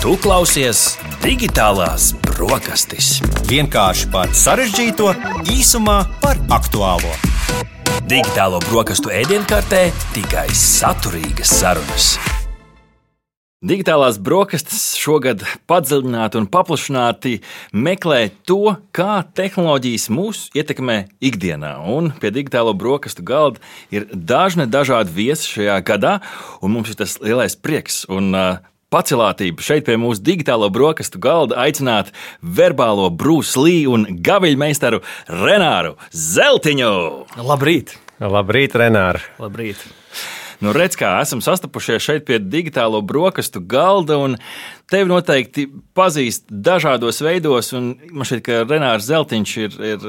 Tu klausies Digitālās brokastis. Vienkārši par sarežģīto, īsumā par aktuālo. Digitālo brokastu ēdienkartē tikai saturīgas sarunas. Digitālās brokastis šogad padziļināti un paplašināti meklē to, kā tehnoloģijas mūs ietekmē ikdienā. Un pie digitālo brokastu galda ir dažādi viesi šajā gadā, un mums ir tas lielais prieks un pacilātība šeit pie mūsu digitālo brokastu galda aicināt verbālo Bruce Lee un gaviļmeistaru Renāru Zeltiņu. Labrīt! Labrīt, Renār! Labrīt! Nu, redz, kā esam sastapušies šeit pie digitālo brokastu galda, un tevi noteikti pazīst dažādos veidos, un man šķiet, ka Renārs Zeltiņš ir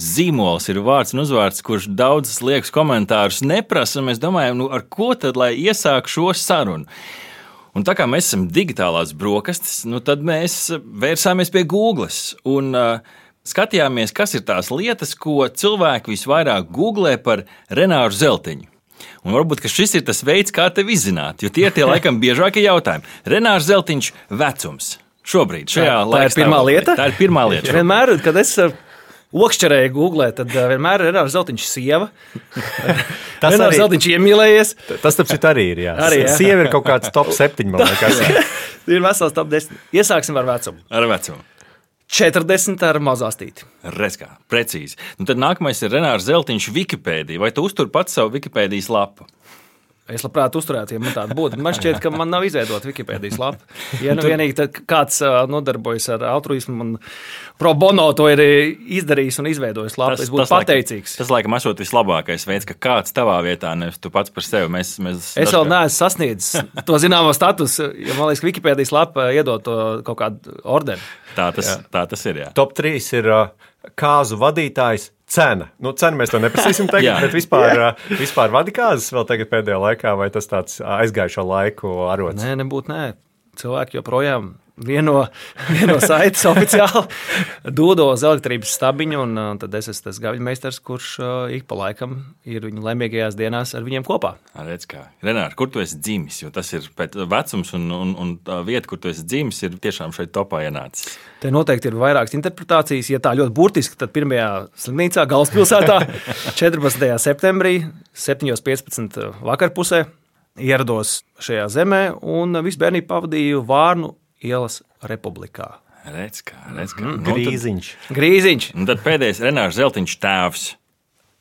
zīmols, ir vārds un uzvārds, kurš daudzas liekas komentārus neprasa, un mēs domājam, nu, ar ko tad, lai iesāk šo sarunu? Un tā kā mēs esam digitālās brokastis, nu, tad mēs vērsāmies pie Googles un skatījāmies, kas ir tās lietas, ko cilvēki visvairāk googlē par Renāru Zeltiņu. Un varbūt šis ir tas veids, kā tevi izzināt, jo tie ir tie laikam biežākie jautājumi. Renārs Zeltiņš vecums šobrīd, šajā laikā. Tā ir pirmā lieta? Tā ir pirmā lieta. Vienmēr, kad es okšķerēju Googlē, tad vienmēr ir Renārs Zeltiņš sieva. Renārs Zeltiņš iemīlējies. Tas taču arī ir, jā. Arī, jā. Sieva ir kaut kāds top 7, man liekas. Ir vesels top 10. Iesāksim ar vecumu. Ar vecumu. 40 ar mazāstīti. Redz kā, precīzi. Nu, tad nākamais ir Renārs Zeltiņš Wikipēdija. Vai tu uztur pats savu Wikipēdijas lapu? Es labprāt uzturētu, ja man tāda būtu. Man šķiet, ka man nav izveidota Wikipēdijas lapa. Ja nu vienīgi kāds nodarbojas ar altruismu un pro bono to ir izdarījis un izveidojis lapu, es būtu pateicīgs. Tas laikam esot vislabākais veids, ka kāds tavā vietā, nevis tu pats par sevi. Es vēl neesmu sasniedzis to zināmo statusu, jo man liekas, ka Wikipēdijas lapa iedod to kaut kādu ordeni. Tā tas ir, jā. Top 3 ir kāzu vadītājs. Cena. Nu, cenu mēs to neprasīsim tagad, bet vispār vadi kāzas vēl tagad pēdējā laikā, vai tas tāds aizgājušo laiku arots? Nē, nebūtu nē. Cilvēki joprojām vieno saites oficiāli dūdo uz elektrības stabiņu, un tad es esmu tas gaviļmeistars, kurš ik pa laikam ir viņu laimīgajās dienās ar viņiem kopā. Redz kā. Renār, kur tu esi dzimis? Jo tas ir vecums un vieta, kur tu esi dzimis, ir tiešām šeit topā ienācis. Te noteikti ir vairākas interpretācijas. Ja tā ļoti burtiski, tad pirmajā slimnīcā galvaspilsētā 14. septembrī 7:15 vakarpusē ierados šajā zemē un visu bērnību pavadīju Vārnu ielas republikā. Redz kā. Grīziņš. Un tad pēdējais Renārs Zeltiņš tēvs.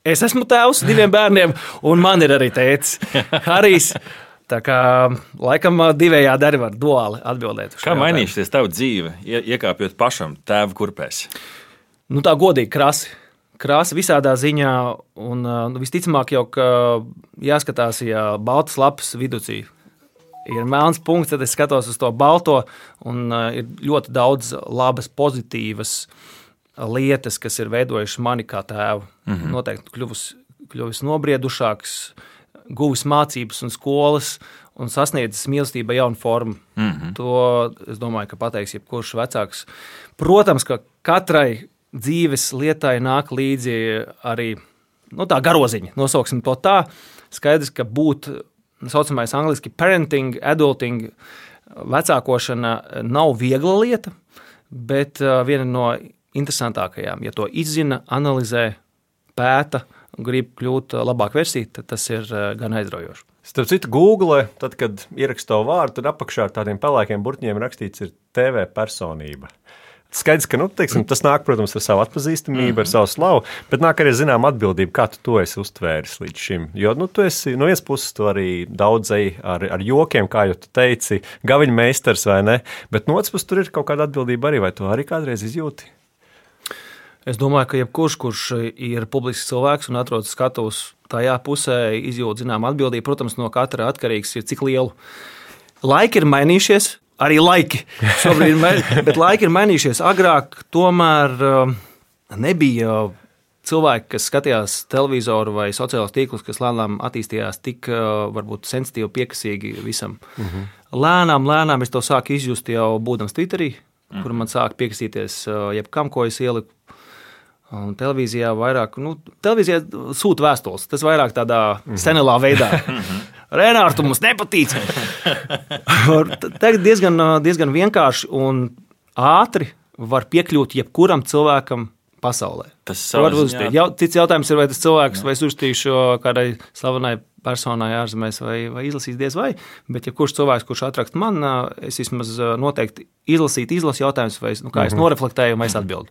Es esmu tēvs 2 bērniem, un man ir arī tētis Harijs. Tā kā laikam divējādi arī var duāli atbildēt. Kā mainīsies tava dzīve, iekāpjot pašam tēva kurpēs? Nu tā godīgi krāsa visādā ziņā, un visticamāk jau, ka jāskatās, ja baltas lapas viducī ir melns punkts, tad es skatos uz to balto, un ir ļoti daudz labas, pozitīvas lietas, kas ir veidojušas mani kā tēvu. Noteikti kļuvis nobriedušāks, guvis mācības un skolas un sasniedzis mīlestība jaunu formu. To, es domāju, ka pateiks jebkurš vecāks. Protams, ka katrai dzīves lietai nāk līdzi arī tā garoziņa, nosauksim to tā. Skaidrs, ka būt saucamais angliski parenting, adulting, vecākošana nav viegla lieta, bet viena no interesantākajām. Ja to izzina, analizē, pēta un grib kļūt labāk versija, tad tas ir gan aizraujoši. Starp citu, Google, tad, kad ierakst to vārdu, tad apakšā ar tādiem pelēkiem burtiņiem rakstīts ir TV personība. Skaidrs, ka tas nāk, protams, ar savu atpazīstamību, ar savu slavu, bet nāk arī zinām atbildību, kā tu to esi uztvēris līdz šim. Jo tu esi no vienas puses tu arī daudzēji ar jokiem, kā jau tu teici, gaviļmeistars vai ne, bet no otras puses tur ir kaut kāda atbildība arī, vai tu arī kādreiz izjūti? Es domāju, ka jebkurš, kurš ir publisks cilvēks un atrodas skatuves tajā pusē, izjūt zinām atbildību. Protams, no katra atkarīgs ir cik lielu. Laiki ir mainījušies, arī laiki šobrīd, bet laiki ir mainījušies. Agrāk tomēr nebija cilvēki, kas skatījās televizoru vai sociālos tīklus, kas lēnām attīstījās tik varbūt sensitīvi, piekasīgi visam. Lēnām es to sāku izjust jau būdams Twitterī, kur man sāka piekasīties jebkam, ko es ieliku. Un televīzijā vairāk, televīzijā sūta vēstules, tas vairāk tādā senelā veidā. Renārs, tu mums nepatīc. Tagad diezgan vienkārši un ātri var piekļūt jebkuram cilvēkam pasaulē. Tas cits jautājums ir, vai tas cilvēks vai uztīšu kādai slavenai personai ārzemēs vai izlasīs diez vai, bet ja kurš cilvēks, kurš atrakst man, es vismaz noteikti izlasu jautājumus, vai kā es noreflektēju, vai es atbildu.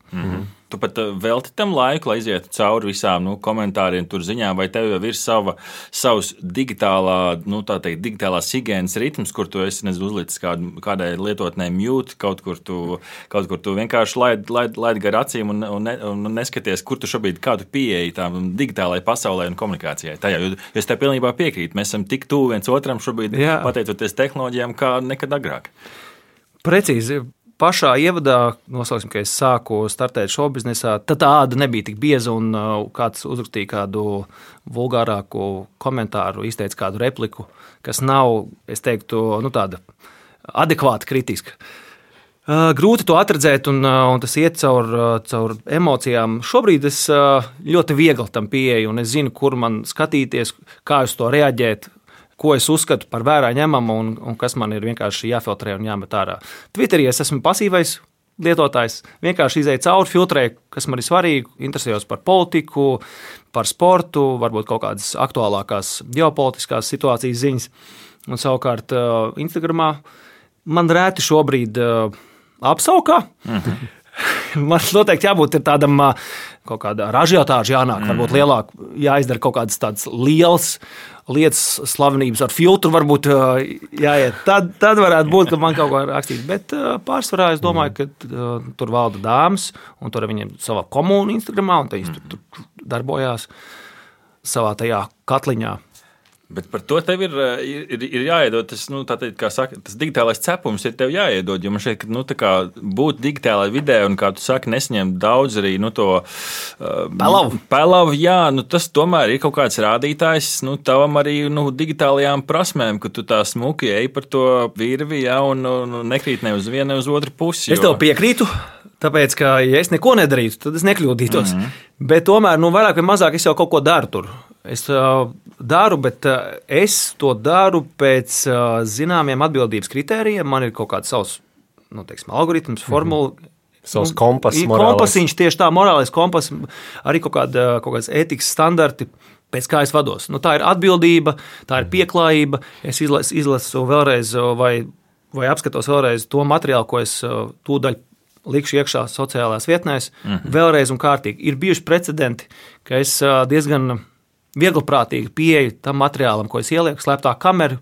Tu pat velti tam laiku, lai izietu cauri visām komentāriem, tur ziņām, vai tev jau ir savs digitālās higienas ritms, kur tu esi uzlicis kādai lietotnē mute, kaut kur tu vienkārši laid gar acīm un neskaties, kur tu šobrīd kādu pieeji tām digitālajai pasaulē un komunikācijai. Tajā, jo es tev pilnībā piekrītu, mēs esam tik tuvu viens otram šobrīd, pateicoties tehnoloģijām, kā nekad agrāk. Precīzi. Pašā ievadā, noslēgsim, ka es sāku startēt šoubiznesā, tad tā āda nebija tik bieza un kāds uzrakstīja kādu vulgārāku komentāru, izteica kādu repliku, kas nav, es teiktu, tāda adekvāta kritiska. Grūti to atradzēt un tas iet caur emocijām. Šobrīd es ļoti viegli tam pieeju un es zinu, kur man skatīties, kā uz to reaģēt, ko es uzskatu par vērā ņemamu un kas man ir vienkārši jāfiltrē un jāmet ārā. Twitterī es esmu pasīvais lietotājs, vienkārši izēju cauri, filtrēju, kas man ir svarīgi, interesējos par politiku, par sportu, varbūt kaut kādas aktuālākās ģeopolitiskās situācijas ziņas. Un savukārt Instagramā man rēti šobrīd apsaukā. Man noteikti jābūt tādam kaut kāda ražiotāža jānāk, varbūt lielāk jāizdara kaut kādas tādas lielas lietas, slavenības ar filtru varbūt jāiet. Tad varētu būt, ka man kaut ko rakstīt. Bet pārsvarā es domāju, ka tur valda dāmas, un tur viņiem savā komūna Instagramā, un viņi tur darbojās savā tajā katliņā. Bet par to tev ir jāiedod tas, kā saka, tas digitālais cepums ir tev jāiedod, jo man šeit, būt digitālajā vidē un, kā tu saki, nesņem daudz arī, to pelavu, jā, tas tomēr ir kaut kāds rādītājs, tavam arī, digitālajām prasmēm, ka tu tā smuki ej par to virvi, jā, un nekrīt ne uz vienu, ne uz otru pusi. Es tev piekrītu. Tāpēc, ka, ja es neko nedarītu, tad es nekļūdītos. Bet tomēr, vairāk vai mazāk es jau kaut ko daru tur. Es daru, bet es to daru pēc zināmiem atbildības kritērijiem. Man ir kaut kāds savs, algoritms, formula. Savs kompass, kompasiņš, tieši tā, morālais kompass, arī kaut kāds ētikas standarti, pēc kā es vados. Tā ir atbildība, tā ir pieklājība. Es izlasu vēlreiz vai apskatos vēlreiz to materiālu, ko es tūdaļ likšu iekšā sociālās vietnēs, vēlreiz un kārtīgi. Ir bijuši precedenti, ka es diezgan vieglprātīgi pieeju tam materiālam, ko es ielieku, slēptā kameru,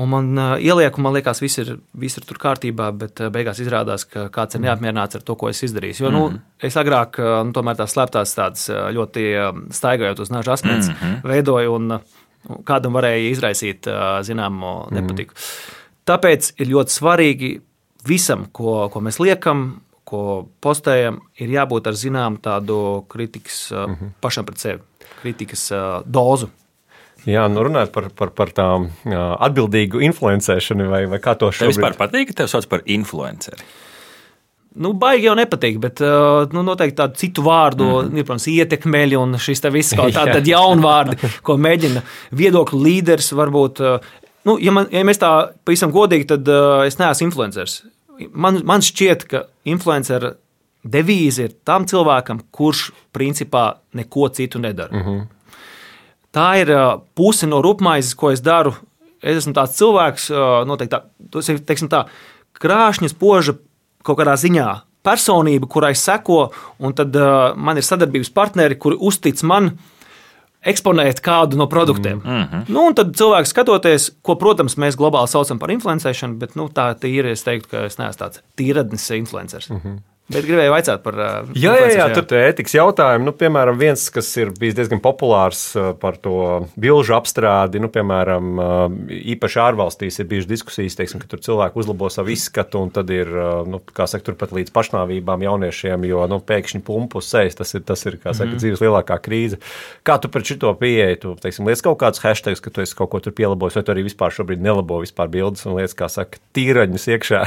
un man ielieku, man liekas, viss ir tur kārtībā, bet beigās izrādās, ka kāds ir neapmierināts ar to, ko es izdarīju. Jo, es agrāk tomēr tās slēptās tādas ļoti staigājot uz naža asmens veidoju, un kādam varēja izraisīt zināmu nepatiku. Tāpēc ir ļoti svarīgi visam, ko mēs liekam, ko postējam, ir jābūt ar zināmu tādu kritikas pašam pret sevi, kritikas dozu. Jā, runājot par tām atbildīgu influencēšanu, vai kā to šobrīd? Tev vispār patīk, ka tev sauc par influenceri? Baigi jau nepatīk, bet noteikti tādu citu vārdu, protams, ietekmeļi un šis te viss kaut tādi jauni vārdi, ko mēģina viedokļu līderis varbūt. Ja mēs tā pavisam godīgi, tad es neesmu influenceris. Man šķiet, ka influencera devīze ir tam cilvēkam, kurš principā neko citu nedara. Tā ir puse no rupmaizes, ko es daru. Es esmu tāds cilvēks, noteikti tā krāšņa, spoža kaut kādā ziņā personība, kurai seko, un tad man ir sadarbības partneri, kuri uztic man eksponēt kādu no produktiem. Un tad cilvēks skatoties, ko, protams, mēs globāli saucam par influencēšanu, bet tā ir, es teiktu, ka es neesmu tāds tīradnis influenceris. Bet gribēju vaicāt par... Jā, tur ir ētikas jautājumi. Piemēram, viens, kas ir bijis diezgan populārs par to bilžu apstrādi, piemēram, īpaši ārvalstīs ir bijušas diskusijas, teiksim, ka tur cilvēki uzlabo savu izskatu, un tad ir, kā saka, turpat līdz pašnāvībām jauniešiem, jo pēkšņi pumpu uz sejas, tas ir, kā saka, dzīves lielākā krīze. Kā tu pret šito pieeji? Tu, teiksim, liec kaut kādus hashtags, ka tu esi kaut ko tur pielabojis, vai tu arī vispār šobrīd nelabo vispār bildes un liec, kā saka, tīraņus iekšā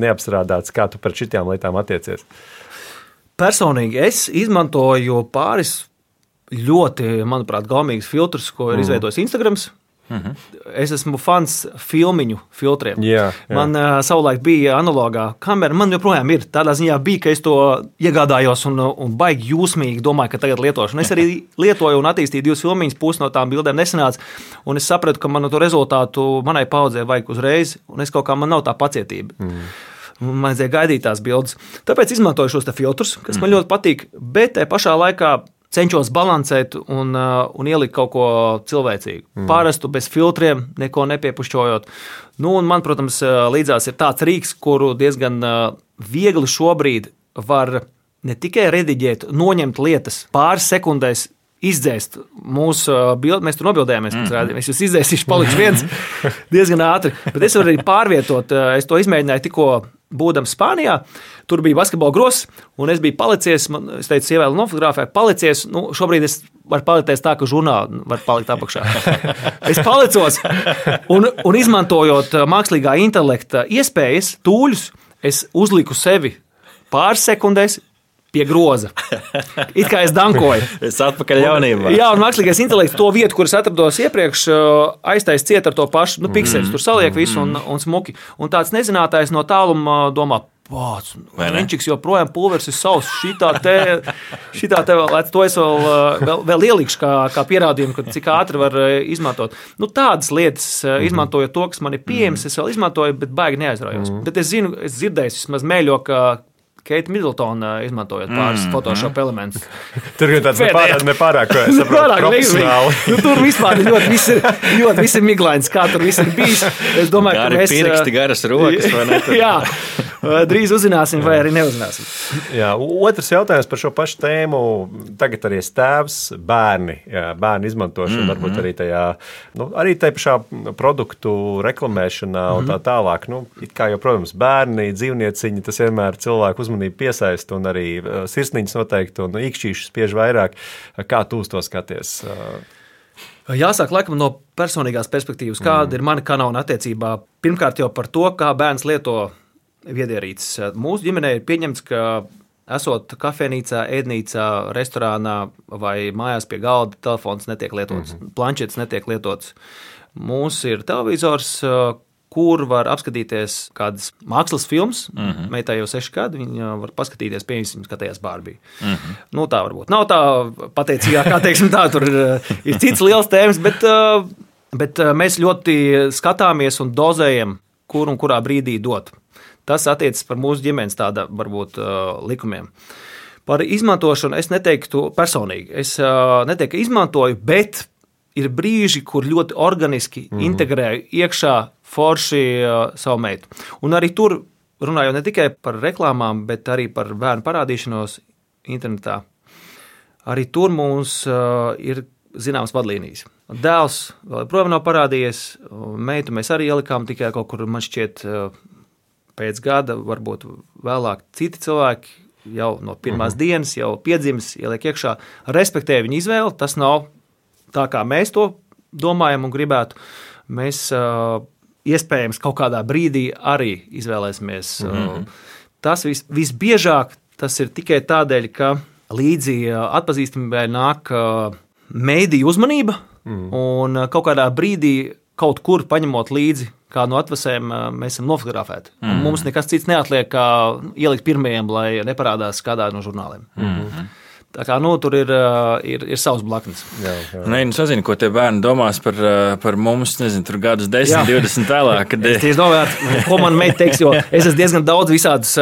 neapstrādāts. Kā tu pret šitām lietām attiecies? Personīgi es izmantoju pāris ļoti, manuprāt, gaumīgus filtrus, ko ir izveidojis Instagrams. Es esmu fans filmiņu filtriem. Jā. Man savulaik bija analogā kamera, man joprojām ir. Tādā ziņā bija, ka es to iegādājos un baigi jūsmīgi domāju, ka tagad lietošu. Un es arī lietoju un attīstīju 2 filmiņas, pusi no tām bildēm nesanāca. Un es sapratu, ka man to rezultātu manai paudzei vajag uzreiz, un es kaut kā man nav tā pacietība. Man vajadzēja gaidīt tās bildes. Tāpēc izmantoju šos filtrus, kas man ļoti patīk, bet te pašā laikā cenšos balansēt un ielikt kaut ko cilvēcīgu. Parastu bez filtriem, neko nepiepušķojot. Nu, un man, protams, līdzās ir tāds rīks, kuru diezgan viegli šobrīd var ne tikai rediģēt, noņemt lietas pāris sekundēs, izdzēst mūsu bildi. Mēs tur nobildējāmies, es jūs izdzēsīšu, palikšu viens diezgan ātri. Bet es varu arī pārvietot. Es to izmēģināju tikko būdams Spānijā. Tur bija basketbola gross, un es biju palicies. Es teicu, sievēlu nofotografēju, palicies. Nu, šobrīd es varu palikties tā, ka žurnāli var palikt apakšā. Es palicos un izmantojot mākslīgā intelekta iespējas, tūļus, es uzliku sevi pāris sekundēs pie groza. It kā es dankoju. Es atpakaļ jaunībā. Jā, un mākslīgais intelekts to vietu, kur es atrados iepriekš, aiztais ciet ar to pašu pikseļus. Tur saliek visu un smuki. Un tāds nezinātājs no tāluma domā, Lenčiks joprojām pulveris ir savs. Šitā te vēl, to es vēl ielikšu kā pierādījumu, ka cik ātri var izmantot. Nu, tādas lietas, izmantojot to, kas man ir pieejams, es vēl izmantoju, bet baigi neaizraujos. Bet es zinu, es dzirdēju vismaz mēļo, ka Keita Middletona izmantojot pāris Photoshop elementus. Tur ir tāds nepārāk profesionāli. Tur vispār ļoti viss ir miglains, kā tur viss ir bijis. Es domāju, ka mēs... pirksti, garas rokas, vai ne? Jā, drīz uzzināsim vai arī neuzzināsim. Jā, otrs jautājums par šo pašu tēmu. Tagad arī tēvs, bērni izmantošana, varbūt arī arī tajā pašā produktu reklamēšanā un tā tālāk. Nu, it kā jau, protams, bērni, dzīvnieciņi, tas vienmēr cilvēku uzmanību piesaista un arī sirsniņas noteikti un īkšķīšas spiež vairāk. Kā tu uz to skaties? Jāsāk laikam no personīgās perspektīvas, kāda ir mana kanona attiecībā. Pirmkārt jau par to, kā bērns lieto viedierīces. Mūsu ģimenē ir pieņemts, ka esot kafejnīcā, ēdnīcā, restorānā vai mājās pie galda, telefons netiek lietots, planšetes netiek lietots. Mums ir televizors, kur var apskatīties kādas mākslas filmas. Meitai jau 6 gadi, viņa var paskatīties, piemēram, skatījās Barbie. Nu, tā varbūt nav tā pateicīgā, kā teiksim tā, tur ir cits liels tēmas, bet mēs ļoti skatāmies un dozējam, kur un kurā brīdī dot. Tas attiecas par mūsu ģimenes tāda, varbūt, likumiem. Par izmantošanu es neteiktu personīgi. Es neteiktu, ka izmantoju, bet ir brīži, kur ļoti organiski integrēju iekšā forši savu meitu. Un arī tur runājot ne tikai par reklāmām, bet arī par bērnu parādīšanos internetā. Arī tur mums ir zināmas vadlīnijas. Dēls vēl joprojām nav parādījies, meitu mēs arī ielikām tikai kaut kur, man šķiet, pēc gada, varbūt vēlāk citi cilvēki jau no pirmās dienas, jau piedzimis, ieliek iekšā, respektē viņu izvēli, tas nav tā, kā mēs to domājam un gribētu. Mēs iespējams kaut kādā brīdī arī izvēlēsimies. Tas visbiežāk tas ir tikai tādēļ, ka līdzi atpazīstamībai nāk mēdīju uzmanība un kaut kādā brīdī kaut kur paņemot līdzi kādu no atvasēm, mēs esam nofotografēti. Mums nekas cits neatliek, kā ielikt pirmajiem, lai neparādās kādā no žurnāliem. Tā kā, tur ir savs blaknes. Jā. Nē, sazinu, ko tie bērni domās par mums, nezinu, tur gadus 10, 20 vēlāk. Kad... Es tieši domāju, ko man meita teiks, jo es esmu diezgan daudz visādus,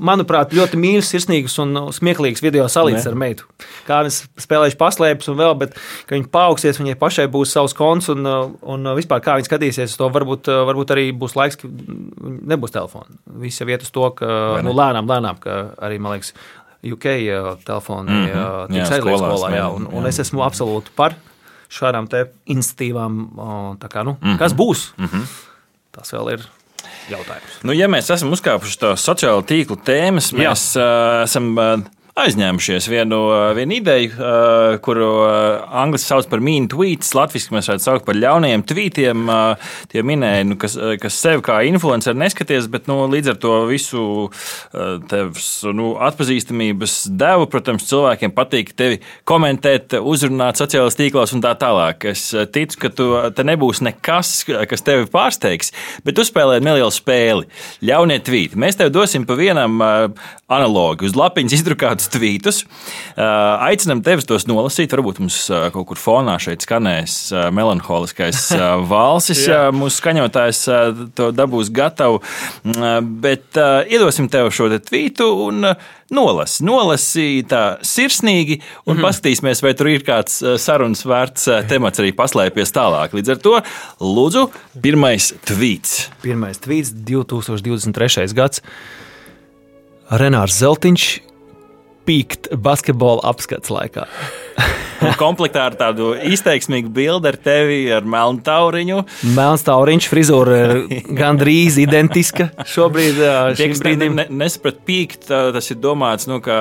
manuprāt, ļoti mīļus, sirsnīgus un smieklīgus video salīdz ar meitu. Kā viņas spēlējuši paslēpes un vēl, bet, ka viņi paaugsies, viņai pašai būs savs konts un vispār kā viņi skatīsies, to varbūt arī būs laiks, ka nebūs telefona. Viss jau iet uz to, ka lēnām, ka arī, man liekas, UK telefoni tiks aizliegts skolā, jā, un es esmu absolūti par šādām te institīvām, tā kā, kas būs, tas vēl ir jautājums. Ja mēs esam uzkāpuši to sociālo tīklu tēmas, mēs esam aizņēmušies vienu ideju, kuru angliski sauc par mean tweets, latviski mēs varētu saukt par ļaunajiem tweetiem. Tie minēja, kas sevi kā influenceri neskaties, bet līdz ar to visu tevs atpazīstamības devu, protams, cilvēkiem patīk tevi komentēt, uzrunāt sociālajos tīklos un tā tālāk. Es ticu, ka te nebūs nekas, kas tevi pārsteigs, bet tu spēlē nelielu spēli. Ļaunie tvīti. Mēs tev dosim pa vienam analogu. Uz lapiņas izdrukātus tvītus. Aicinam tevis tos nolasīt. Varbūt mums kaut kur fonā šeit skanēs melanholiskais valsis. Mūsu skaņotājs to dabūs gatavu. Bet iedosim tev šo tvītu un nolasi tā sirsnīgi un paskatīsimies, vai tur ir kāds sarunas vērts temats arī paslēpies tālāk. Līdz ar to, lūdzu, pirmais tvīts. Pirmais tvīts, 2023. gads. Renārs Zeltiņš pīkt basketbola apskats laikā. Komplektā ar tādu izteiksmīgu bildi ar tevi, ar melnu tauriņu. Melns tauriņš, frizūra ir gandrīz identiska šobrīd. Šim brīdim nesaprat pīkt, tas ir domāts, kā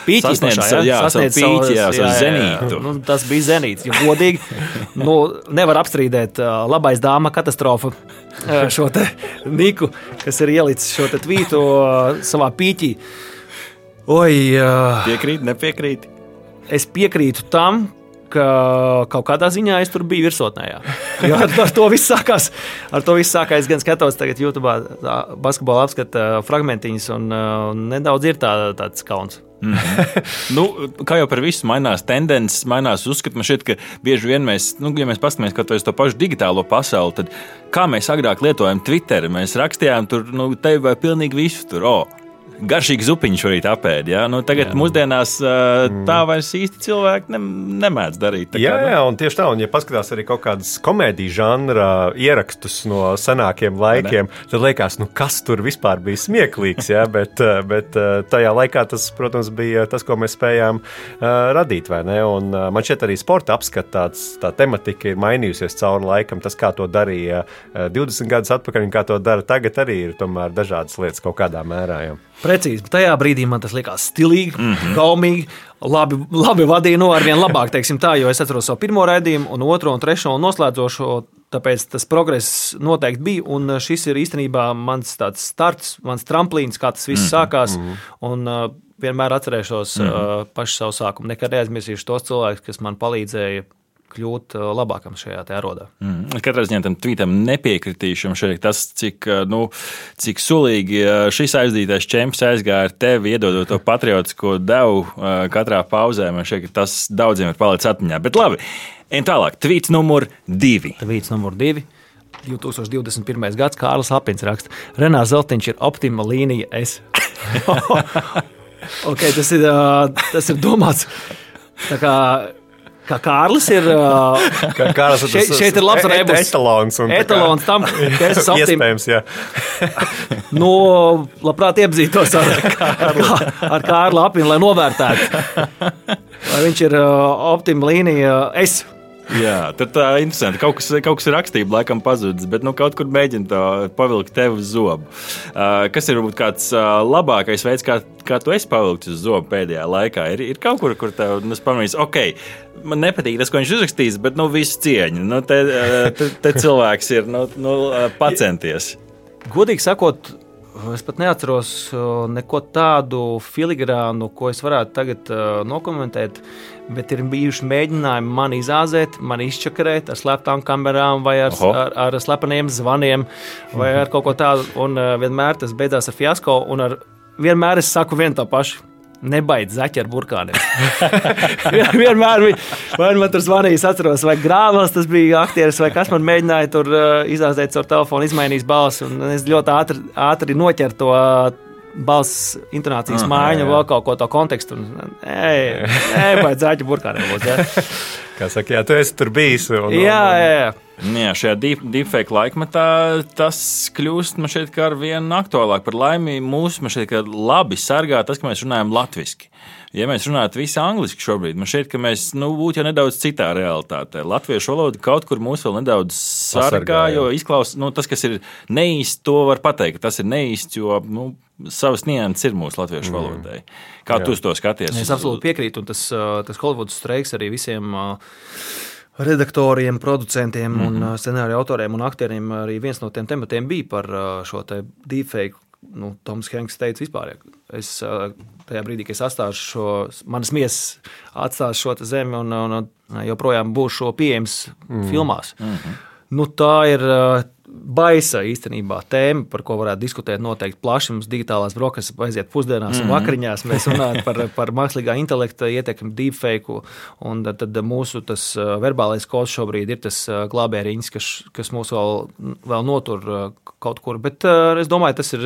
pīķis sasniedz pīķi, savu zenītu. Tas bija zenīts, jo godīgi nevar apstrīdēt labais dāma katastrofa šo te Niku, kas ir ielicis šo te tvītu savā pīķī. Piekrīt, nepiekrīt? Es piekrītu tam, ka kaut kādā ziņā es tur biju virsotnējā. Jo ar to viss sākās. Es gan skatos tagad YouTube basketbola apskata fragmentiņas un nedaudz ir tāds kauns. Kā jau par visu mainās tendences, mainās uzskati. Man šķiet, ka bieži vien mēs, ja mēs paskatāmies to pašu digitālo pasauli, tad kā mēs agrāk lietojam Twitter, mēs rakstījām tur, tevi vai pilnīgi visu tur, garšīgi zupiņš šorīt apēd. Ja? Tagad mūsdienās tā vairs īsti cilvēki nemēdz darīt. Jā, un tieši tā, un ja paskatās arī kaut kādas komēdiju žanra ierakstus no senākiem laikiem, tad liekas, kas tur vispār bija smieklīgs, ja? bet tajā laikā tas, protams, bija tas, ko mēs spējām radīt, vai ne? Un man šķiet arī sporta apskats, tā tematika ir mainījusies cauri laikam. Tas, kā to darīja 20 gadus atpakaļ un kā to dara tagad, arī ir tomēr dažādas lietas kaut kādā mērā. Jā. Precīzi, bet tajā brīdī man tas likās stilīgi, gaumīgi, labi vadīja arvien labāk, teiksim tā, jo es atceros savu pirmo raidījumu un otro un trešo un noslēdzošo, tāpēc tas progress noteikti bija, un šis ir īstenībā mans tāds starts, mans tramplīns, kā tas viss sākās, un vienmēr atcerēšos pašu savu sākumu, nekad neaizmirsīšu tos cilvēkus, kas man palīdzēja kļūt labākam šajā te arodā. Katrā ziņā tam tvītam nepiekritīšam šeit tas, cik sulīgi šis aizdītais čemps aizgāja ar tevi, iedodot to patriotisko devu katrā pauzē. Man šķiet, ka tas daudziem ir palicis atmiņā. Bet labi, ejam tālāk. Tvīts numur 2. Tvīts numur 2. 2021. gads Kārlis Apins raksta. Renārs Zeltiņš ir optima līnija S. Okay, tas ir domāts tā kā Kārlis ir. Šeit ir labs rebus. Etalons tam, ka es esmu iespējams, jā. Labprāt iepazītos ar Kārli Apinu, lai novērtētu. Vai viņš ir optima līnija S. Jā, tad tā ir interesanti. Kaut kas ir rakstība, laikam pazudis, bet kaut kur mēģina to pavilkt tev uz zobu. Kas ir varbūt kāds labākais veids, kā tu esi pavilkts uz zobu pēdējā laikā? Ir kaut kur tev pamanīs, man nepatīk tas, ko viņš uzrakstīs, bet visu cieņu. Te cilvēks ir pacenties. Godīgi sakot, es pat neatceros neko tādu filigrānu, ko es varētu tagad nokomentēt, bet ir bijuši mēģinājumi mani izāzēt, mani izčakarēt ar slēptām kamerām vai ar slepeniem zvaniem vai ar kaut ko tādu, un vienmēr tas beidzās ar fiasko, un vienmēr es saku vienu to pašu. Nebaidz zaķi ar burkāniem. Vienmēr vai man tur zvanījis, atceros, vai Grāvels tas bija aktieris, vai kas man mēģināja tur izāzēt caur telefonu, izmainījis balsi, un es ļoti ātri noķeru to balss intonācijas maiņu, vēl kaut ko to kontekstu. Nebaidz zaķi burkāniem. Kā saka, jā, tu esi tur bijis. Jā. Jā, šajā deepfake laikmetā tas kļūst man šeit kā ar vien aktuālāk. Par laimi mūs man šeit kā labi sargā tas, ka mēs runājam latviski. Ja mēs runātu visi angliski šobrīd, man šķiet, ka mēs būtu jau nedaudz citā realitātē. Latviešu valoda kaut kur mūs vēl nedaudz sargā, jo izklausās, tas, kas ir neīsts, to var pateikt, ka tas ir neīsts, jo savas nianses ir mūsu latviešu valodai. Kā tu uz to skaties? Es absolūti piekrītu, un tas Hollywoods streiks arī visiem redaktoriem, producentiem un scenāriju autoriem un aktieriem arī viens no tiem tematiem bija par šo te deepfake. Toms Hanks teica vispār, es tajā brīdī, kad es atstāšu manas miesas atstāšu šo zemi un joprojām būšu pieejams filmās. Tā ir baisa īstenībā tēma, par ko varētu diskutēt noteikti plaši. Mums digitālās brokastis aiziet pusdienās un vakariņās. Mēs runājam par mākslīgā intelekta ietekmi, deepfake, un tad mūsu tas verbālais kods šobrīd ir tas glābēriņš, kas mūs vēl notur kaut kur. Bet es domāju, tas ir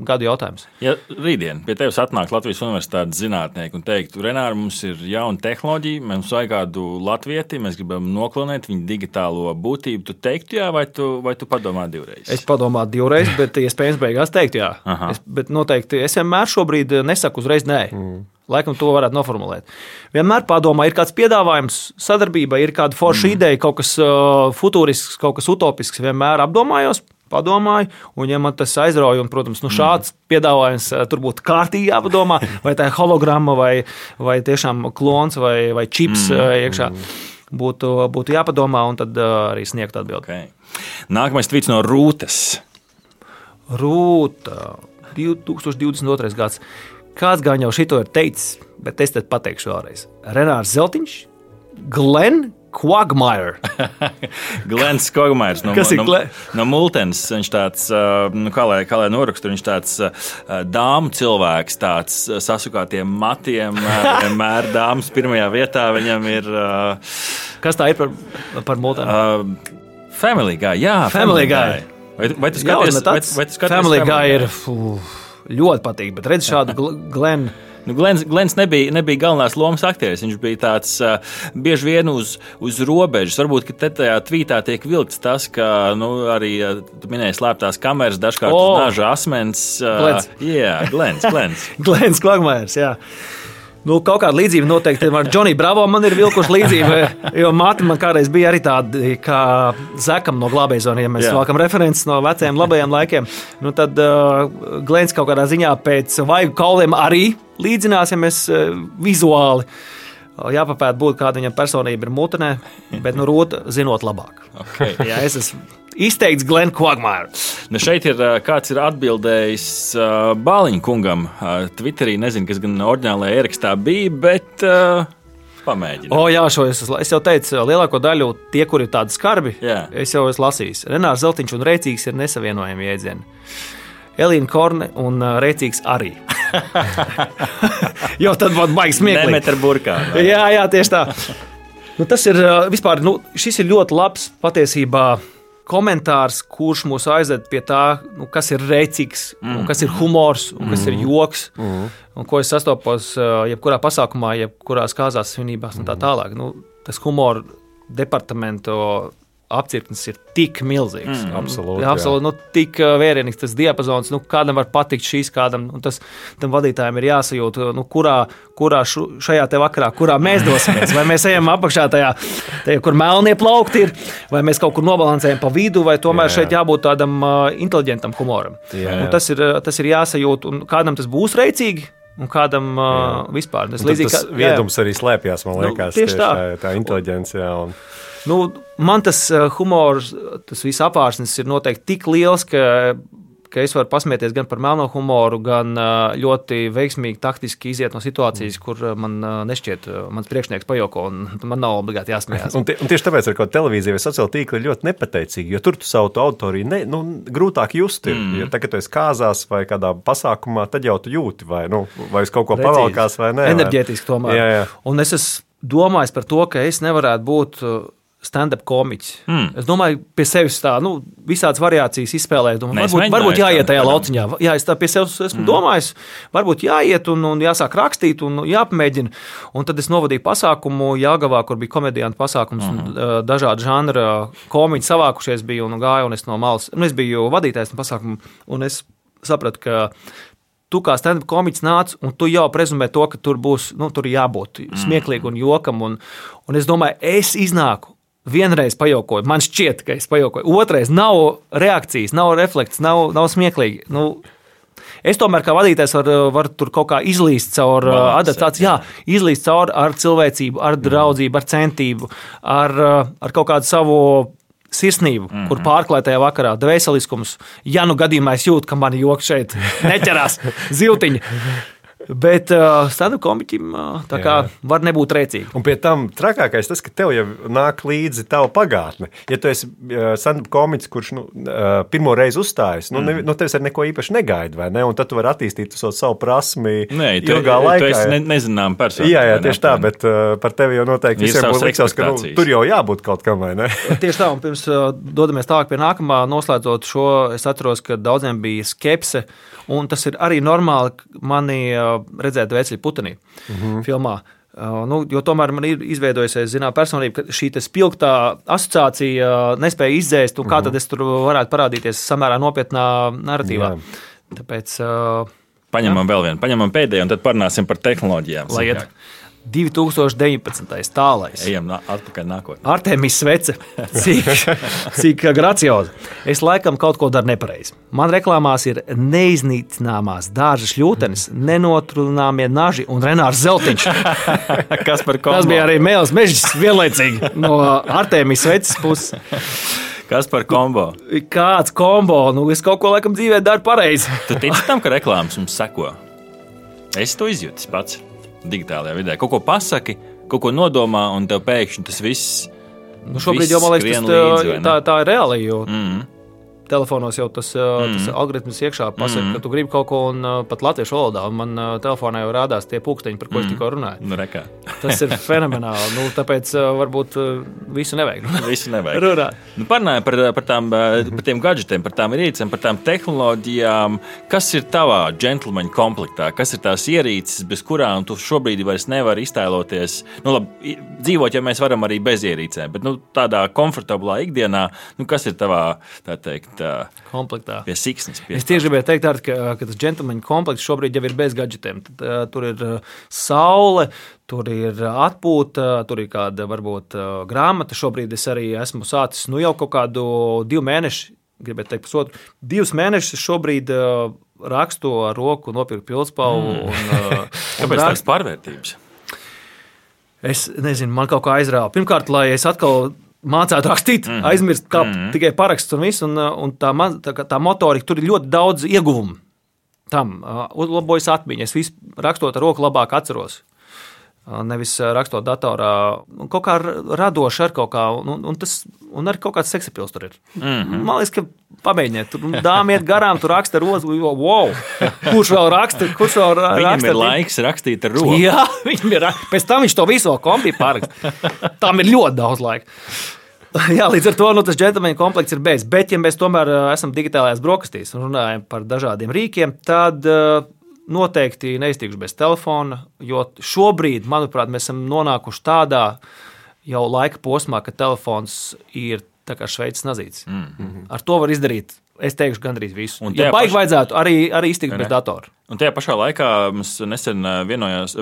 gadu jautājums. Ja rītdien pie tevis atnāk Latvijas universitātes zinātnieki un teiktu, Renār, mums ir jauna tehnoloģija, mums vajag kādu latvieti, mēs gribam noklonēt viņu digitālo būtību. Tu teiktu jā, vai tu padomā divreiz? Es padomāju divreiz, bet iespējams beigās teikt jā. Bet noteikti es vienmēr šobrīd nesaku uzreiz nē. Laikam to varētu noformulēt. Vienmēr padomā, ir kāds piedāvājums, sadarbība, ir kāda forša ideja, kaut kas futurisks, kaut kas utopisks, vienmēr apdomājos, padomāju, un ja man tas aizrauja, un, protams, šāds piedāvājums tur būtu kārtīgi jāpadomā, vai tā ir hologramma, vai tiešām klons, vai čips iekšā. Būtu jāpadomā, un tad arī sniegt atbildi. Okay. Nākamais tvīts no Rūtas. Rūta, 2022. gads. Kāds gan jau šito ir teicis, bet es tad pateikšu vēlreiz. Renārs Zeltiņš, Glenn Quagmire. Glens Quagmires no Multens. Viņš tāds, kā lai norakstu, viņš tāds dāmu cilvēks, tāds sasukātiem matiem, vienmēr dāmas pirmajā vietā viņam ir. Kas tā ir par Multenu? Family Guy, jā. Family Guy. Vai tu skaties? Family Guy ir ļoti patīk, bet redz šādu Glenn. Glens nebija galvenās lomas aktieris. Viņš bija tāds bieži vien uz robežas. Varbūt, ka tajā tvītā tiek vilkts tas, ka arī tu minēji slēptās kameras, dažkārt uz naža asmens. Glens. Glens Quagmires, jā. Kaut kāda līdzība noteikti ar Johnny Bravo man ir vilkuši līdzība, jo māte man kādreiz bija arī tāda kā Zekam no Glābējzona, ja mēs valkam references no vecajiem labajiem laikiem. Tad Glens kaut kādā ziņā pēc vaigu kauliem arī līdzinās, ja mēs vizuāli jāpapēt būt, kāda viņam personība ir mutenē, bet Rūta zinot labāk. Okay. Jā, es esmu izteikts Glenn Quagmire. Šeit ir kāds ir atbildējis Bāliņa kungam Twitterī, nezinu, kas gan oriģinālajā ierakstā bija, bet pamēģinu. Jā, šo es jau teicu, lielāko daļu tie, kuri ir tādi skarbi, es jau esmu lasījis. Renārs Zeltiņš un Rēcīgs ir nesavienojami jēdzieni. Elīna Korne un Rēcīgs arī. Jo tad būtu baigi smieklīgi. Nemet ar burkām. Jā, tieši tā. Tas ir vispār, šis ir ļoti labs patiesībā komentārs, kurš mūs aizved pie tā, kas ir rēcīgs, kas ir humors, kas ir joks, un ko es sastopos jebkurā pasākumā, jebkurās kāzās svinībās un tā tālāk. Tas humora departamento apcirknis ir tik milzīgs. Absolūti, tik vērienīgs tas diapazons, kādam var patikt šīs, kādam, un tam vadītājiem ir jāsajūt, kurā šajā te vakarā, kurā mēs dosimies, vai mēs ejam apakšā tajā, kur melnie plaukti ir, vai mēs kaut kur nobalansējam pa vidu, vai tomēr šeit jābūt tādam inteliģentam humoram. Tas ir jāsajūt, un kādam tas būs reicīgi, un kādam vispār. Tas viedums arī slēpjas, man liekas, tieši tā inteliģencija. Man tas humors, tas viss apvārsnes ir noteikti tik liels, ka es varu pasmieties gan par melno humoru, gan ļoti veiksmīgi taktiski iziet no situācijas, kur man nešķiet mans priekšnieks pajoko, un man nav obligāti jāsmējās. Un tieši tāpēc ar ko televīzija vai sociāla tīkla ir ļoti nepateicīgi, jo tur tu savu autoriju grūtāk just ir. Ja tagad tu esi kāzās vai kādā pasākumā, tad jau tu jūti, vai uz kaut ko pavalkās vai nē. Enerģētiski tomēr. Jā. Un es esmu domājis par to, ka es nevarētu būt stand-up komiķis. Es domāju, pie sevis tā, visādas variācijas izspēlēt. Varbūt jāiet tajā lauciņā. Jā, es tā pie sevis esmu domājis, varbūt jāiet un jāsāk rakstīt un jāpamēģina. Un tad es novadīju pasākumu Jelgavā, kur bija komediantu pasākums. Dažādi žanra komiķi savākušies bija un gāja, un es no malas. Es biju vadītājs no pasākumu, un es sapratu, ka tu kā stand-up komiķis nāc, un tu jau prezumē to, ka tur būs, tur jābūt smieklīgi un jokam. Un es domāju, es iznāku. Vienreiz pajokoju, man šķiet, ka es pajokoju. Otrais nav reakcijas, nav reflekts, nav smieklīgi. Es tomēr kā vadītājs varu tur kaut kā izlīst caur adaptāciju. Jā, izlīst caur ar cilvēcību, ar draudzību, ar centību, ar kaut kādu savu sirsnību, kur pārklāj tajā vakarā dvēseliskums. Ja gadījumā es jūtu, ka mani joks šeit neķerās ziltiņi. Bet stand-up komiķim tā kā var nebūt rēcīgi. Un pie tam trakākais tas, ka tev jau nāk līdzi tava pagātne. Ja tu esi stand-up komiķis, kurš pirmo reizi uzstājas, no tevis ar neko īpaši negaida, vai ne? Un tad tu vari attīstīt savu prasmi ilgā laikā. Tu esi nezinām personu. Jā, tieši tā, bet par tevi jau noteikti visiem būs liksās, ka tur jau jābūt kaut kam, vai ne? Tieši tā, un pirms dodamies tālāk pie nākamā, noslēdzot šo, es atceros, ka daudziem bija skepse, un tas ir arī normāli mani redzēt Vēcļa Putenī filmā. Jo tomēr man ir izveidojusies personība, ka šī spilgtā asociācija nespēja izdzēst, un kā tad es tur varētu parādīties samērā nopietnā narratīvā. Tāpēc paņemam vēl vienu, paņemam pēdējo, un tad parunāsim par tehnoloģijām. Lai iet 2019. tālais. Ejam atpakaļ nākotnē. Artēmis Svece, cik gracioza. Es laikam kaut ko daru nepareizi. Man reklāmās ir neiznīcināmās dārza šļūtenes, nenotrunāmie naži un Renārs Zeltiņš. Kas par kombo? Tas bija arī Mēls Mežģis vienlaicīgi no Artēmis Sveces puses. Kas par kombo? Kāds kombo? Es kaut ko laikam dzīvē daru pareizi. Tu tici tam, ka reklāmas mums seko? Es to izjūtu pats. Digitālajā vidē. Kaut ko pasaki, kaut ko nodomā, un tev pēkšņi tas viss. Šobrīd jau, man liekas, tā ir reāli, jo telefonos jau tas algoritms iekšā pasaka, ka tu gribi kaut ko, un pat latviešu valodā. Man telefonā jau rādās tie pūksteņi, par ko es tikko runāju. Tas ir fenomenāli. Tāpēc varbūt visu nevajag. Visu nevajag. Parunāja par tiem gadžetiem, par tām ierīcēm, par tām tehnoloģijām. Kas ir tavā džentlmeņa komplektā? Kas ir tās ierīces, bez kurām tu šobrīd vairs nevari iztēloties? Labi, dzīvot, ja mēs varam arī bez ierīcēm, bet tādā komfortablā ikdienā, kas ir tavā, tā teikt, komplektā. Pie siksnes. Es tieši gribēju teikt, ka tas džentlmeņa komplekts šobrīd jau ir bez gadžetiem. Tur ir saule, tur ir atpūta, tur ir kāda varbūt grāmata. Šobrīd es arī esmu sācis jau kaut kādu 2 mēnešu, gribētu teikt pusotru, 2 mēnešus šobrīd rakstu ar roku, nopirku pildspalvu. Kāpēc tādas pārvērtības? Es nezinu, man kaut kā aizrāva. Pirmkārt, lai es atkal mācētu rakstīt, aizmirst kā tikai paraksts un viss, un tā motorika, tur ir ļoti daudz ieguvumu. Tam uzlabojas atmiņa. Es visu rakstot ar roku labāk atceros. Nevis rakstot datorā. Kaut kā radoši ar kaut kā, un arī kaut kāds seksapils tur ir. Man liekas, ka pamēģiniet. Tur dāma iet garām, tur raksta ar roku. Wow! Kurš vēl raksta? Viņam ir laiks rakstīt ar roku. Jā, viņam ir. Pēc tam viņš to visu vēl kompī pāraksta. Tam ir ļoti daudz laika. Jā, līdz ar to tas džentlmeņa komplekts ir beidzis. Bet, ja mēs tomēr esam digitālajās brokastīs un runājam par dažādiem rīkiem, tad noteikti neiztikšu bez telefona, jo šobrīd, manuprāt, mēs esam nonākuši tādā jau laika posmā, ka telefons ir tā kā Šveices nazīts. Ar to var izdarīt, es teikšu, gandrīz visu. Ja baigi vajadzētu arī iztikt bez datora. Un tajā pašā laikā mums nesen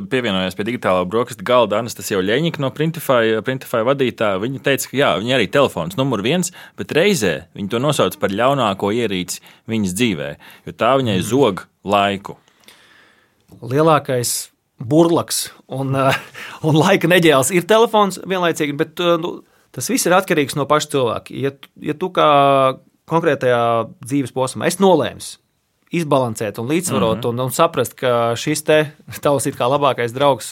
pievienojās pie digitālā brokastu galda Anastasija Ļeņika no Printify vadītāja. Viņa teica, ka jā, viņa arī telefons numur 1, bet reizē viņa to nosauc par ļaunāko ierīci viņas dzīvē, jo tā viņai zog laiku. Lielākais burlaks un laika neģēls ir telefons vienlaicīgi, bet tas viss ir atkarīgs no paša cilvēka. Ja tu kā konkrētajā dzīves posmā esi nolēmis izbalansēt un līdzsvarot un saprast, ka šis tavs it kā labākais draugs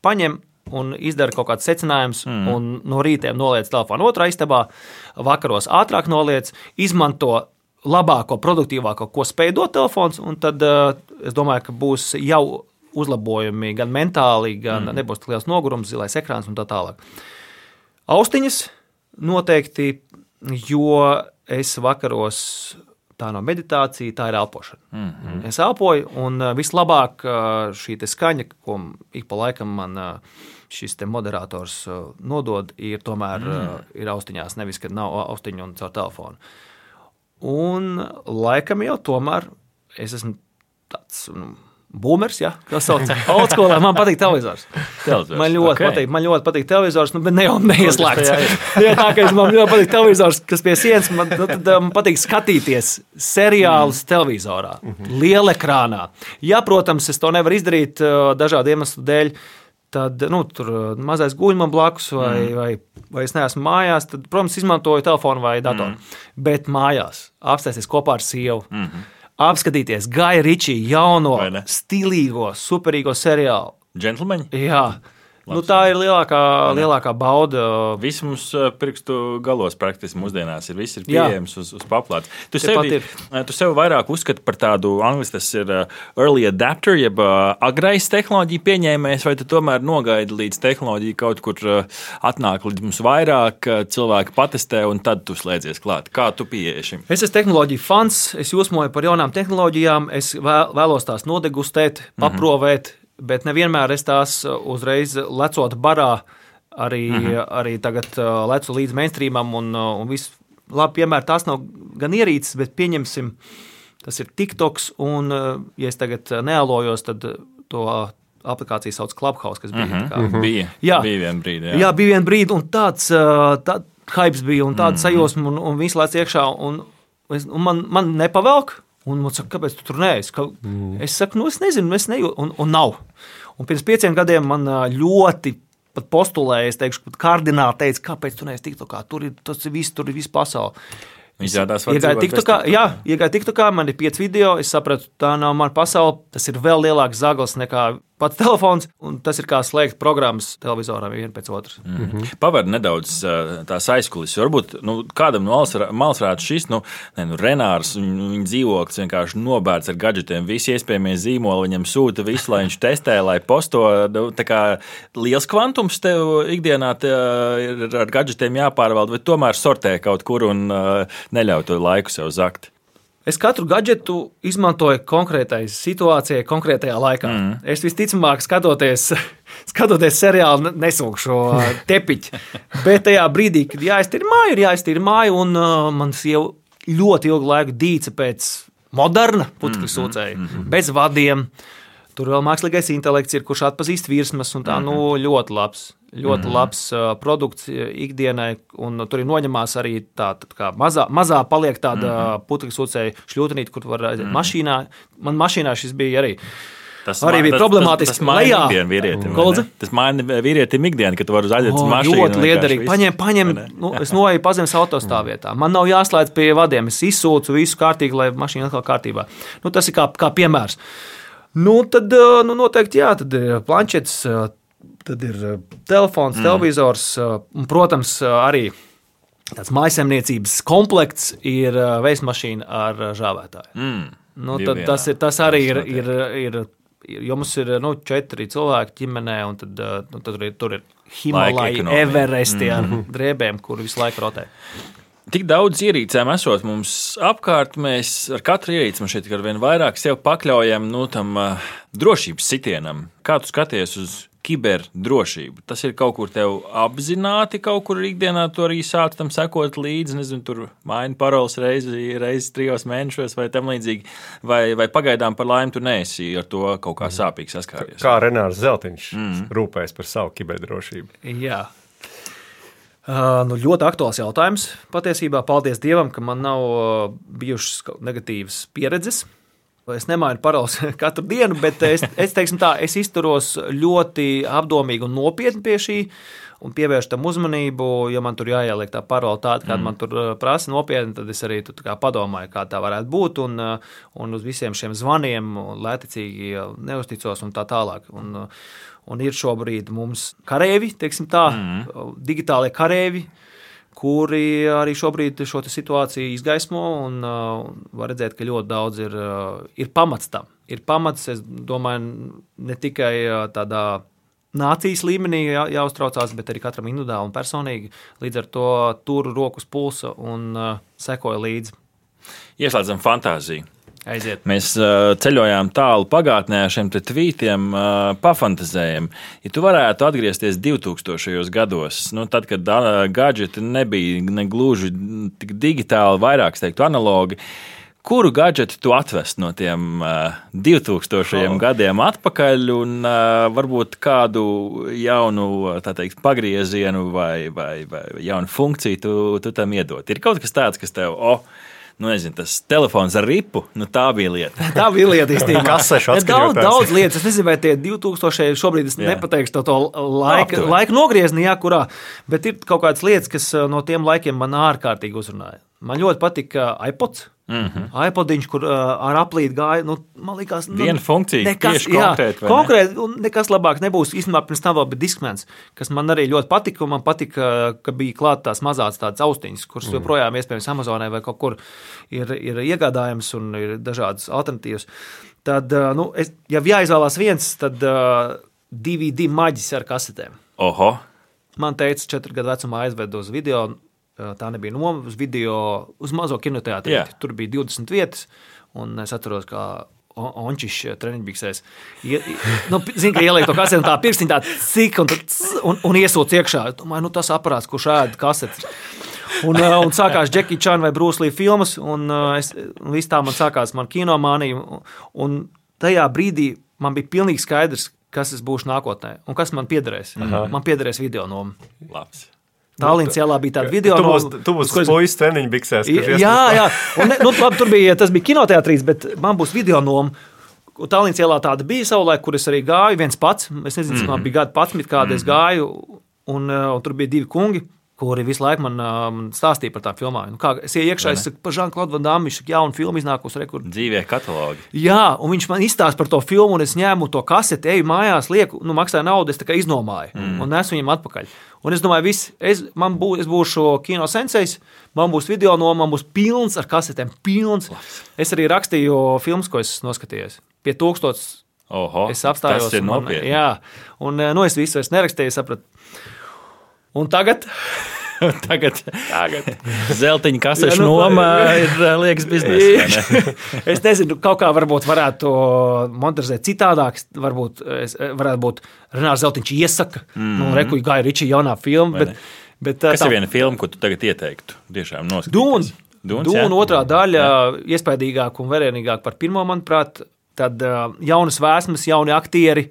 paņem un izdara kaut kāds secinājums un no rītiem noliec telefonu otrā istabā, vakaros ātrāk noliec, izmanto labāko, produktīvāko, ko spēj dot telefons, un tad es domāju, ka būs jau uzlabojumi gan mentāli, gan nebūs tik liels nogurums, zilais ekrāns un tā tālāk. Austiņas noteikti, jo es vakaros tā nav meditācija, tā ir elpošana. Es elpoju, un vislabāk šī skaņa, ko ik pa laikam man šis moderators nodod, ir tomēr ir austiņās, nevis, kad nav austiņu un caur telefonu. Un laikam jau tomēr es esmu tāds boomers, ja, kā sauc, oldschoolā, man patīk televizors. Man ļoti patīk televizors, bet ne jau neieslēgts. Ja tā, ka man ļoti patīk televizors, kas pie sienas, tad man patīk skatīties seriālus televizorā, lielekrānā. Ja, protams, es to nevaru izdarīt dažādu iemeslu dēļ, tad, tur mazais guļ man blakus vai es neesmu mājās, tad, protams, izmantoju telefonu vai datoru. Bet mājās apsēsties kopā ar sievu. Apskatīties Gaja Ričī jauno, stilīgo, superīgo seriālu. Džentlmeņi? Jā. Tā ir lielākā bauda. Viss mums pirkstu galos praktiski mūsdienās ir. Viss ir pieejams uz paplātes. Tu sevi vairāk uzskati par tādu, angliski tas ir early adapter, jeb agrais tehnoloģiju pieņēmējs, vai tu tomēr nogaidi līdz tehnoloģija kaut kur atnāk līdz mums vairāk, cilvēki patestē un tad tu slēdzies klāt. Kā tu pieeji šim? Es esmu tehnoloģiju fans, es jūsmoju par jaunām tehnoloģijām, es vēlos tās nodegustēt, paprovēt, bet nevienmēr es tās uzreiz lecot barā, arī tagad lecu līdz mainstreamam un viss. Labi, piemēram, tās nav gan ierīces, bet pieņemsim, tas ir TikToks, un ja es tagad nealojos, tad to aplikāciju sauc Clubhouse, kas bija. Bija vien brīdi. Jā, bija vien brīdi, un tāds hypes bija, un tāda sajūsma, un viss lēc iekšā, un man nepavelk. Un man saka, kāpēc tu tur neesi? Es saku, es nezinu, es nejūtu, un nav. Un pirms 5 gadiem man ļoti pat postulēja, es teikšu, pat kardināli teica, kāpēc tu neesi TikTokā, tur ir viss pasaule. Iegāju TikTokā, man ir 5 video, es sapratu, tā nav mana pasaule, tas ir vēl lielāks zaglis nekā pats telefons, un tas ir kā slēgt programmas televizoram vienu pēc otras. Pavar nedaudz tās aizkulis. Varbūt kādam no malas varētu šis, Renārs, viņa dzīvoklis vienkārši nobērts ar gadžetiem, visi iespējamie zīmoli viņam sūta visu, lai viņš testē, lai posto. Tā kā liels kvantums tev ikdienā ir ar gadžetiem jāpārvalda, vai tomēr sortē kaut kur un neļauj to laiku sev zakt? Es katru gadžetu izmantoju konkrētai situācijai, konkrētajā laikā. Es visticamāk, skatoties seriālu, nesūkšu tepiķi. Bet tajā brīdī, kad jāiztīra māja, un man sieva ļoti ilgu laiku dīca pēc moderna putekļu sūcēja, bez vadiem. Tur vēl mākslīgais intelekts ir, kurš atpazīst virsmas, un tā ļoti labs produkts ikdienai, un tur ir noņemās arī tā kā mazā paliek tāda putekļu sūcēja šļūtenīte, kur var aiziet mašīnā. Man mašīnā šis bija arī. Tas bija problemātiski. Tas maina ikdienu vīrietim. Tas maina vīrietim ikdienu, kad tu vari aiziet uz mašīnu. Ļoti liederīgi. Paņem, es noeju pazemes autostāvvietā. Man nav jāslēdz pie vadiem. Es izsūcu visu kārtīgi, lai mašīna atkal kārtībā. Tas ir kā piemērs. Tad noteikti jā, tad ir planšets, tad ir telefons, televizors, un, protams, arī tāds mājasemniecības komplekts ir veismašīna ar žāvētāju. Tad tas arī ir, jo mums ir 4 cilvēki ģimenē, un tad tur ir Himalaja, Everesti ar drēbēm, kuri visu laiku rotē. Tik daudz ierīcēm esot mums apkārt, mēs ar katru ierīci man šeit ar vien vairāk sev pakļaujam tam drošības sitienam. Kā tu skaties uz kiberdrošību? Tas ir kaut kur tev apzināti, kaut kur ikdienā tu arī sāc tam sekot līdzi, nezinu, tur maini paroles reizi 3 mēnešos vai tam līdzīgi, vai pagaidām par laimi tu neesi ar to kaut kā sāpīgi saskāries? Kā Renārs Zeltiņš rūpējas par savu kiberdrošību? Jā. Ļoti aktuāls jautājums. Patiesībā paldies Dievam, ka man nav bijušas negatīvas pieredzes. Es nemainu paroles katru dienu, bet es izturos ļoti apdomīgi un nopietni pie šī un pievēršu tam uzmanību. Ja man tur jāieliek tā parole tāda, kāda man tur prasa nopietni, tad es arī padomāju, kā tā varētu būt, un uz visiem šiem zvaniem lēticīgi neusticos un tā tālāk. Un ir šobrīd mums karēvi, teiksim tā, digitālie karēvi, kuri arī šobrīd šo situāciju izgaismo, un var redzēt, ka ļoti daudz ir pamats tam. Ir pamats, es domāju, ne tikai tādā nācijas līmenī jāuztraucās, bet arī katram individuāli un personīgi. Līdz ar to turu rokas pulsa un sekoju līdzi. Ieslēdzam fantāziju. Aiziet. Mēs ceļojām tālu pagātnē ar šiem tvītiem, pafantazējam. Ja tu varētu atgriezties 2000. gados, tad, kad gadžeti nebija ne gluži tik digitāli, vairāk, teiktu, analogi, kuru gadžetu tu atvest no tiem 2000. Gadiem atpakaļ un varbūt kādu jaunu, tā teikt, pagriezienu vai jaunu funkciju tu tam iedot? Ir kaut kas tāds, kas tev, nezinu, tas telefons ar ripu, tā bija lieta. Tā bija lieta īstenībā. Kasešu atskaņotājs. Daudz lietas. Es nezinu, vai tie 2000. Šobrīd es nepateikšu to laika nogriezni, kurā, bet ir kaut kādas lietas, kas no tiem laikiem man ārkārtīgi uzrunāja. Man ļoti patika iPods. iPodiņš, kur ar aplīti gāja, man liekas, viena funkcija, tieši konkrēti. Konkrēti, un nekas labāks nebūs. Īstenībā pirms tam vēl bija Discmans, kas man arī ļoti patika, un man patika, ka bija klāt tās mazās tādas austiņas, kuras joprojām iespējams Amazonē vai kaut kur ir iegādājams un ir dažādas alternatīvas. Tad, ja jāizvēlās viens, tad DVD maģis ar kasetēm. Oho! Man teica, 4 gadu vecumā aizved uz video. Tā nebija noma uz video, uz mazo kinoteātri. Tur bija 20 vietas, un es atceros, kā Ončišs treniņbiksēs. Zinu, ka ieliek to kaseti, un tā pirkstiņa tā cik, un iesūc iekšā. Domāju, tas aparāts, kurš ēd kasetes. Un sākās Jackie Chan vai Bruce Lee filmas, un viss tā man sākās man kinomānija. Un tajā brīdī man bija pilnīgi skaidrs, kas es būšu nākotnē, un kas man piederēs. Man piederēs video noma. Labs. Tallinas ielā bija tāda video. Tu būsi puisis treniņbiksēs. Jā. Un, tur bija, tas bija kinoteātrīs, bet man būs video noma. Tallinas ielā tāda bija savulaik, kur es arī gāju viens pats. Es nezinu, man bija gadu 11, kāda es gāju, un tur bija 2 kungi, kuri visu laiku man stāstīja par tām filmām. Es iekšā, es saku, par Jean-Claude Van Damme, viņš saka, jauna filma iznākusi. Dzīvie katalogi. Jā, un viņš man izstāsta par to filmu, un es ņēmu to kaseti, eju mājās, lieku, maksāju naudu, es tā kā iznomāju, un nesu viņam atpakaļ. Un es domāju, es būšu kino sensejs, man būs video noma, man būs pilns ar kasetēm, pilns. Es arī rakstīju filmas, ko es noskatījos. Pie 1000 es apstājos. Tas ir nopietni. Jā, un es visu es nerakstīju, sapratu. Un tagad zeltiņa kasešu noma ir liekas biznesa. Es nezinu, kaut kā varbūt varētu montažēt citādāk. Varētu būt Renārs Zeltiņš iesaka. Rekuļ Gaja Ričija jaunā filma. Kas ir viena filma, ko tu tagad ieteiktu? Tiešām noskatīties. Dūna otrā daļa iespaidīgāk un vērienīgāk par pirmo, manuprāt. Tad jaunas vēsmas, jauni aktieri,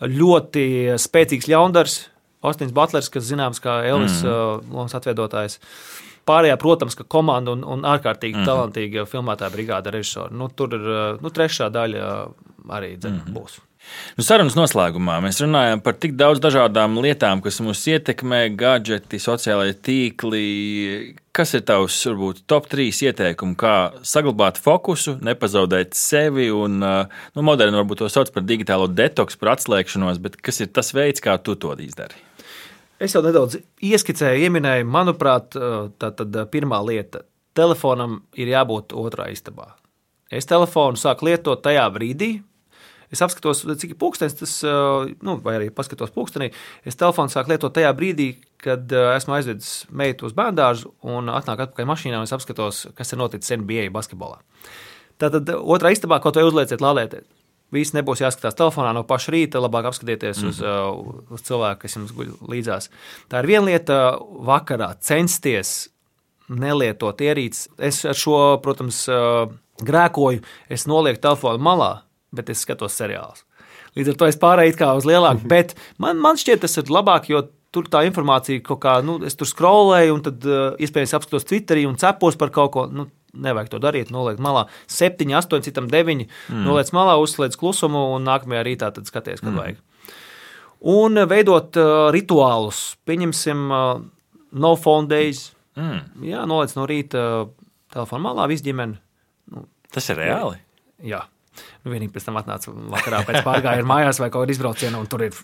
ļoti spēcīgs ļaundars. Ostins Butlers, kas zināms kā Elvis lomas atveidotājs. Pārējā, protams, ka komanda un ārkārtīgi talantīga filmētāja brigāda režisori. Tur ir trešā daļa arī būs. Sarunas noslēgumā mēs runājam par tik daudz dažādām lietām, kas mūs ietekmē, gadžeti, sociālai tīkli. Kas ir tavs, varbūt, top 3 ieteikumi, kā saglabāt fokusu, nepazaudēt sevi un, moderni varbūt to sauc par digitālo detoksu, par atslēgšanos, bet kas ir tas veids, kā tu to izdari? Es jau nedaudz ieskicēju, ieminēju, manuprāt, tad pirmā lieta. Telefonam ir jābūt otrā istabā. Es telefonu sāku lietot tajā brīdī, es apskatos, cik ir pulkstenis, vai arī paskatos pulkstenī, es telefonu sāku lietot tajā brīdī, kad esmu aizvedis meitu uz bērndārzu un atnāk atpakaļ mašīnā un es apskatos, kas ir noticis NBA basketbolā. Tātad otrā istabā, kaut vai uzlieciet, lādētiet. Viss nebūs jāskatās telefonā no paša rīta, labāk apskatieties uz cilvēku, kas jums guļ līdzās. Tā ir viena lieta vakarā censties nelietot ierīces. Es ar šo, protams, grēkoju, es nolieku telefonu malā, bet es skatos seriālus. Līdz ar to es pārēju kā uz lielāku, bet man šķiet tas ir labāk, jo tur tā informācija kaut kā, es tur scrollēju un tad iespējams apskatos Twitterī un cepos par kaut ko, nevajag to darīt, noliekt malā. 7, 8, citam 9, noliec malā, uzslēdz klusumu un nākamajā rītā tad skaties, kad vajag. Un veidot rituālus, pieņemsim no phone days. Jā, noliec no rīta telefonu malā, viss ģimene. Tas ir reāli? Jā. Vienīgi pēc tam atnāca vakarā pēc pārgājiena mājās vai kaut kādā izbraucienā, un tur ir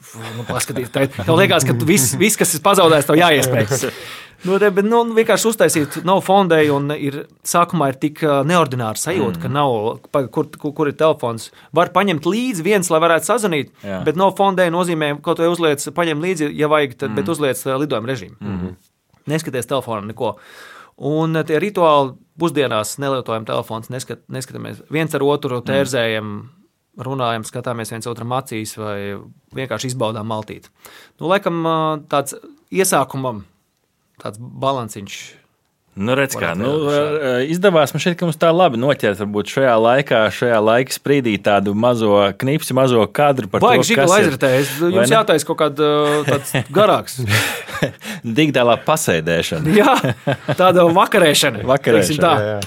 paskatīt. Tev liekas, ka viss, kas ir pazaudējis, tev jāiespējas. Vienkārši uztaisīt nav fondēju un sākumā ir tik neordināra sajūta, ka nav, kur ir telefons. Var paņemt līdzi viens, lai varētu sazvanīt, bet nav fondēju nozīmē, kaut vai uzliec, paņem līdzi, ja vajag, tad, bet uzliec lidojuma režīmu. Neskaties telefonam neko. Un tie rituāli pusdienās nelietojam telefons, neskatāmies viens ar otru, tērzējam, runājam, skatāmies viens otram acīs vai vienkārši izbaudām maltīti. Laikam tāds iesākumam tāds balansiņš. Redz kā, izdevās man šeit, ka mums tā labi noķert, varbūt šajā laika sprīdī tādu mazo knipsi, mazo kadru par Baigi to, kas ir. aizritējas. Jums jātais kaut kāds tāds garāks. Digitālā pasēdēšana. Jā, tāda vakarēšana. Jā.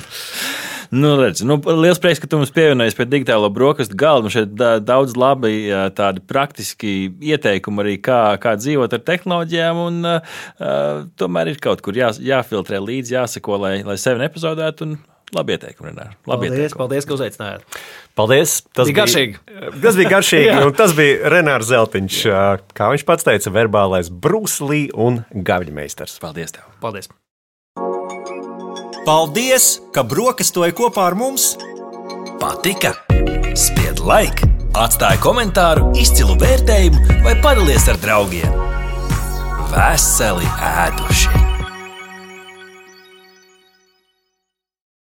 Redz, liels prieks, ka tu mums pievienojies pie digitālo brokastu galda. Mums šeit daudz labi tādi praktiski ieteikumi arī, kā dzīvot ar tehnoloģijām, un tomēr ir kaut kur jāfiltrē līdzi, jāsako, lai sevi nepazudētu, un labi ieteikumi, Renār. Paldies, ka uzaicinājāt. Paldies. Tas bija garšīgi, un tas bija Renārs Zeltiņš, kā viņš pats teica, verbālais Bruce Lee un gavļmeistars. Paldies tev. Paldies. Paldies, ka brokastoji kopā ar mums! Patika? Spied like, atstāj komentāru, izcilu vērtējumu vai padalies ar draugiem. Veseli ēduši!